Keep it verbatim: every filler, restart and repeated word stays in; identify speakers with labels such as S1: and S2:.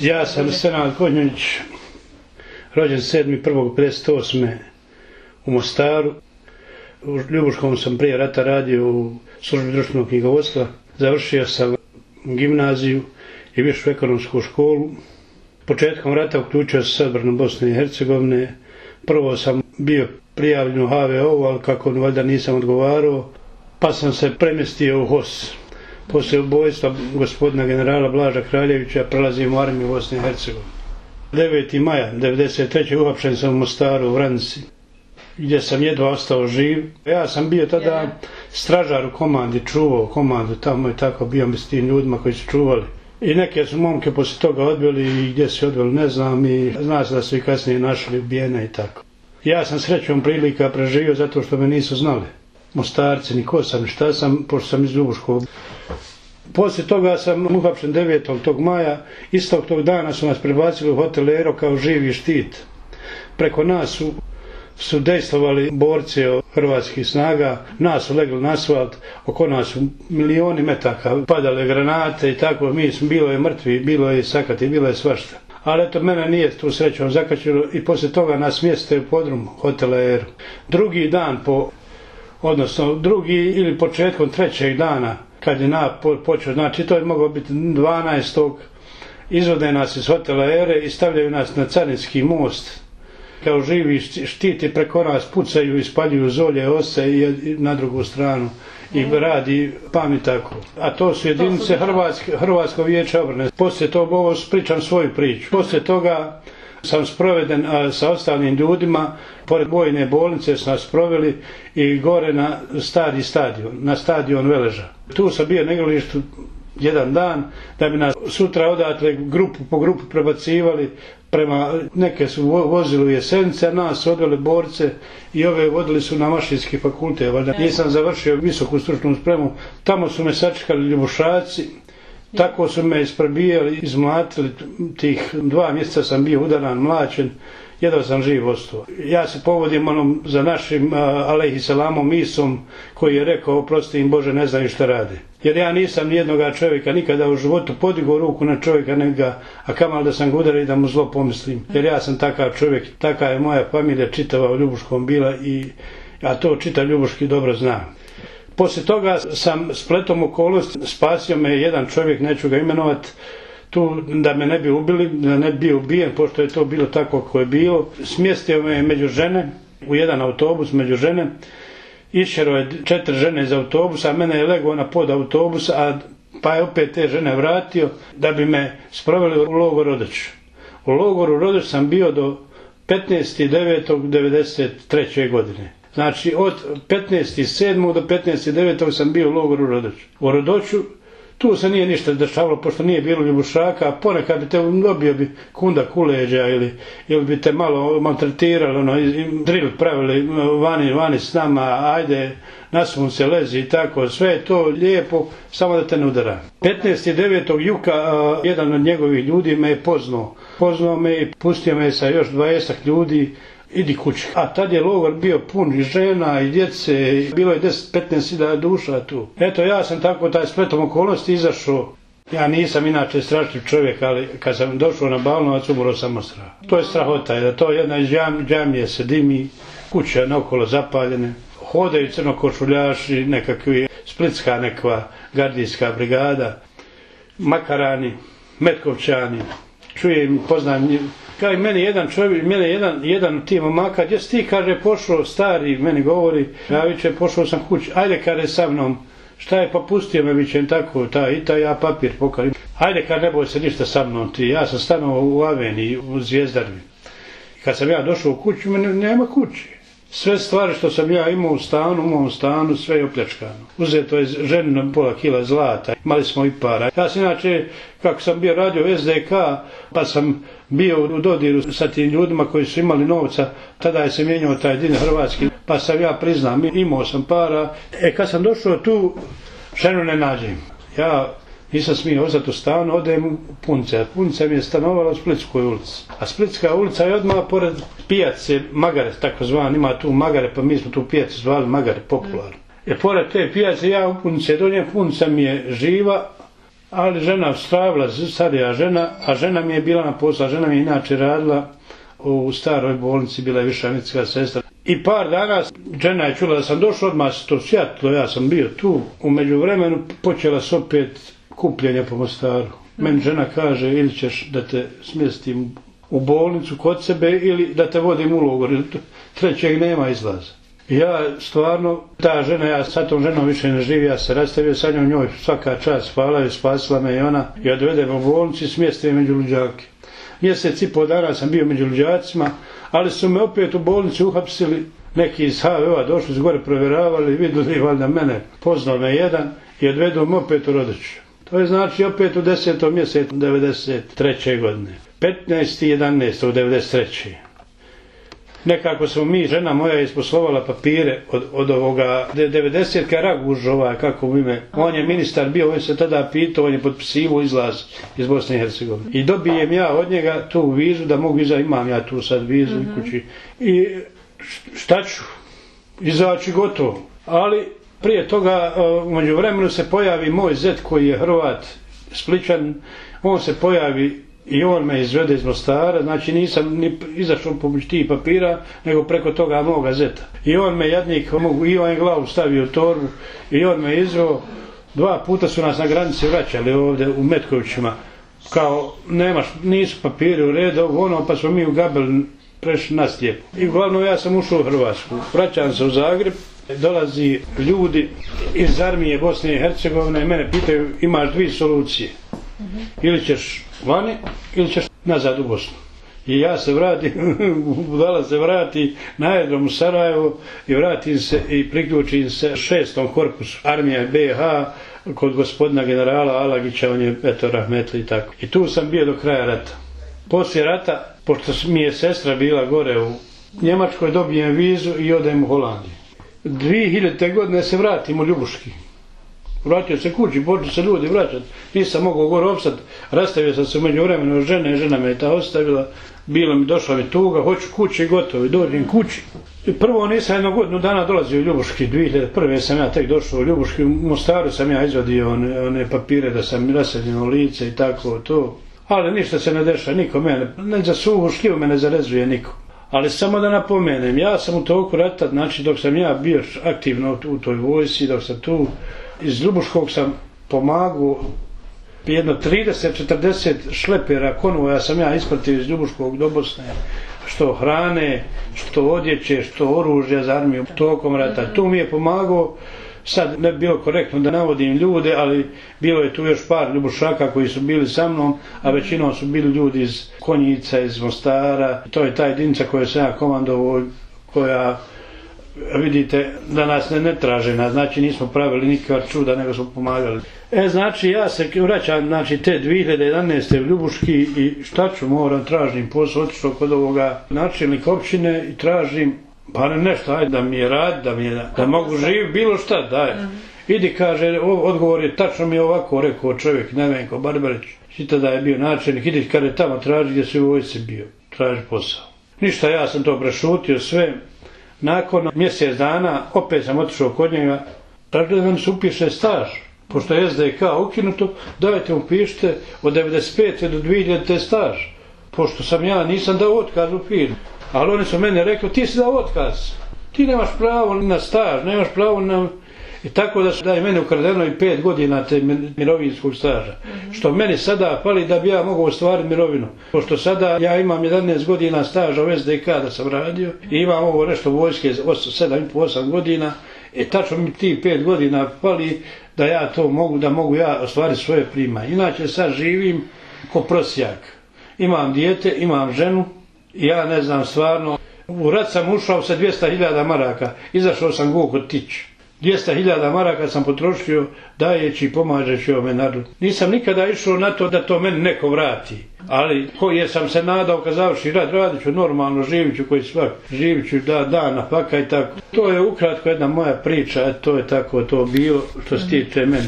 S1: Ja sam Senad Konjović, rođen sedmog prvog pedeset osme u Mostaru. U Ljubuškom sam prije rata radio u službi društvenog knjigovodstva. Završio sam gimnaziju i višu ekonomsku školu. Početkom rata uključio se s odbranom Bosne i Hercegovine. Prvo sam bio prijavljen u ha ve o, ali kako valjda nisam odgovarao, pa sam se premjestio u hos. Poslije ubojstva gospodina generala Blaža Kraljevića prelazim u armiju Bosne i Hercegovine. devetog maja devedeset treće uhapšen sam u Mostaru, u Vranici, gdje sam jedva ostao živ. Ja sam bio tada stražar u komandi, čuvao komandu tamo i tako, bio mi s tim ljudima koji su čuvali. I neke su momke poslije toga odveli i gdje su odveli ne znam, i zna se da su i kasnije našli ubijene i tako. Ja sam srećom prilika preživio zato što me nisu znali Mostarci, ni ko sam, ni šta sam, pošto sam iz Ljubuškog. Poslije toga sam uhapšen devetog tog maja, istog tog dana su nas prebacili u hotel Ero kao živi štit. Preko nas su, su dejstvovali borci hrvatskih snaga, nas su legli na asfalt, oko nas su milioni metaka padale granate i tako, mi smo, bilo je mrtvi, bilo je sakati, bilo je svašta. Ali eto, mene nije tu srećom zakačilo i poslije toga nas smjeste u podrum hotela Ero. Drugi dan po, odnosno drugi ili početkom trećeg dana, kad je napad počeo, znači to je moglo biti dvanaestog izvode nas iz hotela Ere i stavljaju nas na Carinski most. Kao živi štiti preko nas pucaju i spaljuju zolje, ose i na drugu stranu. I radi pami tako. A to su jedinice Hrvatske, Hrvatsko vijeće obrane. Poslije toga, ovo pričam svoju priču. Poslije toga sam sproveden a, sa ostalim ljudima, pored vojne bolnice su nas proveli i gore na stari stadion, na stadion Veleža. Tu sam bio na igralištu jedan dan, da bi nas sutra odatle grupu po grupu prebacivali prema, neke su vozili u Jesenice, a nas su odveli borce i ove vodili su na Mašinski fakultet. Nisam završio visoku stručnu spremu, tamo su me sačekali Ljubušaci. Tako su me isprebijali, izmlatili, tih dva mjeseca sam bio udaran, mlačen, jedva sam živ ostao. Ja se povodim onom za našim alejhi selamom Isom koji je rekao, oprosti im Bože, ne znaju šta rade. Jer ja nisam nijednoga čovjeka nikada u životu podigao ruku na čovjeka, nego, a kamal da sam ga udario i da mu zlo pomislim. Jer ja sam takav čovjek, taka je moja familija čitava u Ljubuškom bila, i, a to čitav Ljubuški dobro zna. Poslije toga sam spletom okolnosti, spasio me jedan čovjek, neću ga imenovat, tu da me ne bi ubili, da ne bi bio ubijen, pošto je to bilo tako kako je bilo. Smjestio me među žene, u jedan autobus među žene, išero je četiri žene iz autobusa, a mene je legao na pod autobus, a pa je opet te žene vratio da bi me sproveli u logor Rodeć. U logoru Rodeć sam bio do petnaestog devetog devedeset treće godine. Znači, od petnaestog sedmog do petnaestog devetog sam bio u logoru Rodoću. U Rodoću tu se nije ništa dešavalo, pošto nije bilo ljubušaka, a ponekad bi te dobio bi kunda kuleđa ili, ili bi te malo maltretirali, ono, drill pravili vani, vani s nama, ajde, na sunce lezi i tako, sve je to lijepo, samo da te ne udara. petnaestog devetog Juka, a, jedan od njegovih ljudi me je poznao. Poznao me i pustio me sa još dvadeset ljudi, idi kući. A tad je logor bio pun i žena i djece, bilo je deset do petnaest hiljada duša tu. Eto, ja sam tako taj spletom okolnosti izašao. Ja nisam inače strašljiv čovjek, ali kad sam došao na Balnovac, umro sam od straha. To je strahota, da to jedna iz džamije se dimi, kuće naokolo zapaljene, hodaju crnokošuljaši, nekakvi splitska nekva gardijska brigada, makarani, metkovčani, čujem, poznam. Kao i meni jedan čovjek, mene jedan, jedan od tih momaka, gdje si ti, kaže, pošao stari, meni govori, ja viče, pošao sam kući, ajde, kaže, sa mnom, šta je, pa pustio me, vičem, tako, ta, i ta, ja papir pokarim, ajde, kaže, ne boj se ništa sa mnom, ti, ja sam stanovao u Aveniji, u Zvijezdarvi. Kad sam ja došao u kuću, mene nema kući. Sve stvari što sam ja imao u stanu, u mom stanu, sve je opljačkano. Uzeto je ženino pola kila zlata, imali smo i para. Ja sam inače, kako sam bio radio es de ka, pa sam bio u dodiru sa tim ljudima koji su imali novca, tada je se mijenjao taj din hrvatski, pa sam ja priznam, imao sam para. E, kad sam došao tu, ženu ne nađem. Ja nisam smio ostati u stanu, odem u Punce. Punce mi je stanovala u Splitskoj ulici. A Splitska ulica je odmah pored pijace Magare, tako zvan, ima tu Magare, pa mi smo tu pijacu zvali Magare, popularno. E, pored te pijace ja u Punce dođem, Punca mi je živa Ali žena stravila, starija žena, a žena mi je bila na poslu, a žena mi je inače radila u staroj bolnici, bila je viša medicinska sestra. I par dana žena je čula da sam došao, odmah se to sjatilo, ja sam bio tu. U međuvremenu počela se opet kupljenje po Mostaru. Meni žena kaže, ili ćeš da te smjestim u bolnicu kod sebe ili da te vodim u logor, trećeg nema izlaza. Ja stvarno, ta žena, ja sa tom ženom više ne živim, ja se rastavio sa njom, njoj svaka čast, hvala joj, spasila me i ona, i odvedem u bolnici, smjestim među luđake. Mjesec i pol dana sam bio među luđacima, ali su me opet u bolnici uhapsili, neki iz ha ve o-a došli su gore, provjeravali, vidjeli valjda mene, poznao me jedan i odvedu me opet u Rodoču. To je znači opet u desetom mjesecu devedeset treće godine. petnaesti jedanaesti devedeset treće Nekako smo mi, žena moja isposlovala papire od, od ovoga devedesetka Raguž, ovaj, kako u ime. On je ministar bio, on se tada pitao, on je potpisivo izlaz iz Bosne i Hercegovine. I dobijem ja od njega tu vizu, da mogu izaći, imam ja tu sad vizu mm-hmm. u kući. I šta ću? Izaći gotovo. Ali prije toga, u međuvremenu se pojavi moj zet koji je Hrvat, Spličan, on se pojavi i on me izvede iz Mostara, znači nisam ni izašao pomoć tih papira, nego preko toga moga zeta. I on me jadnik, i on je glavu stavio u torbu, i on me izveo. Dva puta su nas na granici vraćali ovdje u Metkovićima, kao nemaš, nisu papiri u redu, ono, pa smo mi u Gabel prešli na Stjepu. I uglavnom ja sam ušao u Hrvatsku, vraćam se u Zagreb, dolazi ljudi iz armije Bosne i Hercegovine i mene pitaju, imaš dvije solucije, ili ćeš vani, ili ćeš nazad u Bosnu. I ja se vratim, budala se vrati na aerodrom u Sarajevo i vratim se i priključim se šestom korpusu armije be ha kod gospodina generala Alagića, on je eto rahmetli i tako. I tu sam bio do kraja rata. Poslije rata, pošto mi je sestra bila gore u Njemačkoj, dobijem vizu i odem u Holandiju. dvije hiljadite godine se vratim u Ljubuški. Vratio se kući, počeo se ljudi vraćati. Nisam mogao gore opstati. Rastavio sam se među vremenu žene, žena me je ta ostavila. Bilo mi, došla mi tuga, hoću kući i gotovo. I dođem kući. I prvo nisam jednu godinu dana dolazio u Ljubuški. dvije hiljade prve sam ja tek došao u Ljubuški. U Mostaru sam ja izvadio one, one papire da sam raseljeno lice i tako to. Ali ništa se ne dešava, niko mene. Ne za suvu šljivu me ne zarezuje niko. Ali samo da napomenem, ja sam u toku rata, znači dok sam ja bio aktivno u toj vojsci, dok sam tu, iz Ljubuškog sam pomagao jedno trideset četrdeset šlepera konvoja sam ja ispratio iz Ljubuškog do Bosne, što hrane, što odjeće, što oružja za armiju tokom rata. Tu mi je pomagao, sad ne bi bilo korektno da navodim ljude, ali bilo je tu još par Ljubušaka koji su bili sa mnom, a većinom su bili ljudi iz Konjica, iz Mostara. To je ta jedinica koja sam ja komandovao, koja vidite da nas ne, ne traže, znači nismo pravili nikakva čuda, nego smo pomagali. E, znači ja se vraćam, znači te dvije hiljade jedanaeste u Ljubuški i šta ću, moram, tražim posao, otišao kod ovoga načelnika općine i tražim, pa ne nešto, ajde da mi je rad, da mi je, da mogu živjeti, bilo šta, daj. Idi, kaže, odgovor je, tačno mi je ovako rekao čovjek, Nevenko Barbarić, šita da je bio načelnik, idi kada tamo traži gdje si u vojsci bio, traži posao. Ništa, ja sam to prešutio sve. Nakon mjesec dana opet sam otišao kod njega, tako da nam se upiše staž, pošto je es de ka ukinuto, dajte upišite od devedeset pete do dvije hiljadite staž, pošto sam ja nisam dao otkaz u firmu. Ali oni su mene rekli, ti si dao otkaz, ti nemaš pravo na staž, nemaš pravo na... I tako da su da je mene ukradeno i pet godina te mirovinskog staža. Mm-hmm. Što meni sada fali da bi ja mogao ostvariti mirovinu. Pošto sada ja imam jedanaest godina staža u es de ka da sam radio i imam ovo nešto vojske sedam i pol osam godina. I tačno mi ti pet godina fali da ja to mogu, da mogu ja ostvariti svoje primanje. Inače sad živim ko prosjak. Imam dijete, imam ženu i ja ne znam stvarno. U rat sam ušao sa dvjesto hiljada maraka, izašao sam go kod tić. dvjesto hiljada maraka sam potrošio dajeći i pomažeći ovome narodu. Nisam nikada išao na to da to meni neko vrati. Ali koji sam se nadao kad završi rad, radit ću normalno, živit ću koji svak, živit ću da, dana, paka i tako. To je ukratko jedna moja priča, to je tako to bilo što se tiče meni.